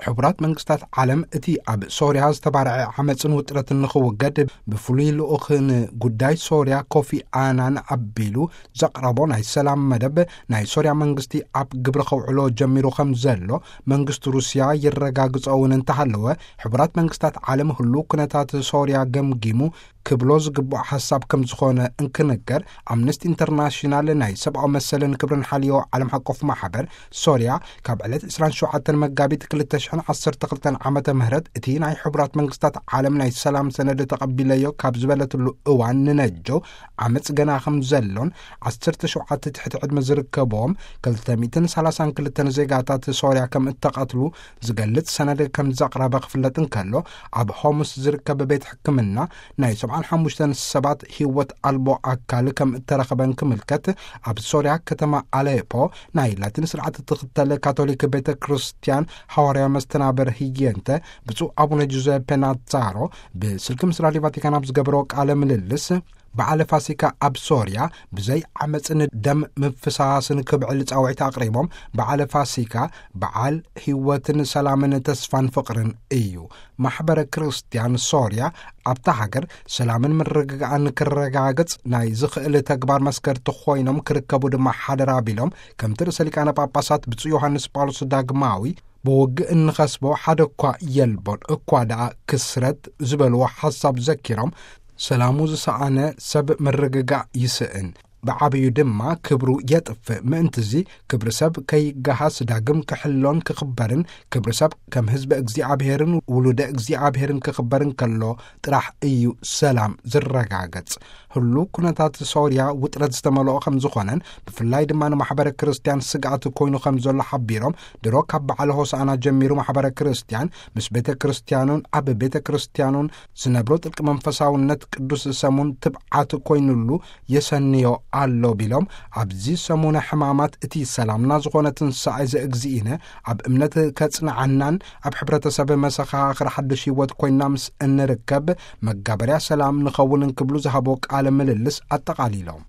ሕቡራት መንግስታት ዓለም እቲ ኣብ ሶርያ ዝተባርዐ ዓመፅን ውጥረትን ንኽውገድ ብፍሉይ ልኡኽን ጉዳይ ሶርያ ኮፊ ኣናን ኣቢሉ ዘቕረቦ ናይ ሰላም መደብ ናይ ሶርያ መንግስቲ ኣብ ግብሪ ከውዕሎ ጀሚሩ ከም ዘሎ መንግስቲ ሩስያ ይረጋግጾ እውን እንተሃለወ፣ ሕቡራት መንግስታት ዓለም ህሉ ኩነታት ሶርያ ገምጊሙ ክብሎ ዝግብኦ ሓሳብ ከም ዝኾነ እንክንገር፣ ኣምነስቲ ኢንተርናሽናል ናይ ሰብኣዊ መሰልን ክብርን ሓልዮ ዓለም ሓቆፍ ማሕበር ሶርያ ካብ ዕለት ዕስራን ሸውዓተን መጋቢት ክልተ ሽሕን ዓሰርተ ክልተን ዓመተ ምህረት እቲ ናይ ሕቡራት መንግስታት ዓለም ናይ ሰላም ሰነድ ተቐቢለዮ ካብ ዝበለትሉ እዋን ንነጆ ዓመፅ ገና ከም ዘሎን ዓሰርተ ሸውዓተ ትሕቲ ዕድመ ዝርከብዎም ክልተ ሚእትን ሰላሳን ክልተን ዜጋታት ሶርያ ከም እተቐትሉ ዝገልጽ ሰነድ ከም ዘቕረበ ክፍለጥ እንከሎ፣ ኣብ ሆምስ ዝርከብ ቤት ሕክምና ናይ ሰብዓን ሓሙሽተን ሰባት ህይወት ኣልቦ ኣካል ከም እተረኸበን ክምልከት፣ ኣብ ሶርያ ከተማ ኣሌፖ ናይ ላቲን ስርዓት እትኽተል ካቶሊክ ቤተ ክርስቲያን ሃዋርያ መስተናበር ህየንተ ብፁዕ ኣቡነ ጁዘፔ ናዛሮ ብስልኪ ምስ ራድዮ ቫቲካን ኣብ ዝገበሮ ቃለ ምልልስ፣ በዓለ ፋሲካ ኣብ ሶርያ ብዘይ ዓመፅን ደም ምፍሳስን ክብዕል ጻውዒት ኣቕሪቦም፣ በዓለ ፋሲካ በዓል ህይወትን ሰላምን ተስፋን ፍቕርን እዩ። ማሕበረ ክርስቲያን ሶርያ ኣብታ ሃገር ሰላምን ምርግጋእን ክረጋገጽ ናይ ዝኽእል ተግባር መስከርቲ ኮይኖም ክርከቡ ድማ ሓደራ ቢሎም፣ ከምቲ ርእሰ ሊቃነ ጳጳሳት ብፁዕ ዮሃንስ ጳውሎስ ዳግማዊ ብውግእ እንኸስቦ ሓደ እኳ የልቦን፣ እኳ ደኣ ክስረት ዝበልዎ ሓሳብ ዘኪሮም፣ ሰላሙ ዝሰኣነ ሰብ ምርግጋእ ይስእን፣ ብዓብዩ ድማ ክብሩ የጥፍእ። ምእንትዚ ክብሪ ሰብ ከይገሃስ ዳግም ክሕሎን ክኽበርን፣ ክብሪ ሰብ ከም ህዝቢ እግዚኣብሔርን ውሉደ እግዚኣብሔርን ክኽበርን ከሎ ጥራሕ እዩ ሰላም ዝረጋገጽ። ህሉ ኩነታት ሶርያ ውጥረት ዝተመልኦ ከም ዝኾነን፣ ብፍላይ ድማ ንማሕበረ ክርስቲያን ስግኣት ኮይኑ ከም ዘሎ ሓቢሮም፣ ድሮ ካብ በዓለ ሆሳዕና ጀሚሩ ማሕበረ ክርስቲያን ምስ ቤተ ክርስቲያኑን ኣብ ቤተ ክርስቲያኑን ዝነብሮ ጥልቂ መንፈሳውነት ቅዱስ ሰሙን ትብዓት ኮይኑሉ የሰንዮ ኣሎ ቢሎም፣ ኣብዚ ሰሙነ ሕማማት እቲ ሰላምና ዝኾነ ትንሳኤ ዘእግዚእነ ኣብ እምነት ከጽንዓናን ኣብ ሕብረተሰብ መሰኻኽር ሓድሽ ህይወት ኮይና ምስ እንርከብ መጋበርያ ሰላም ንኸውን እንክብሉ ዝሃቦ ቃለ ምልልስ ኣጠቓሊሎም።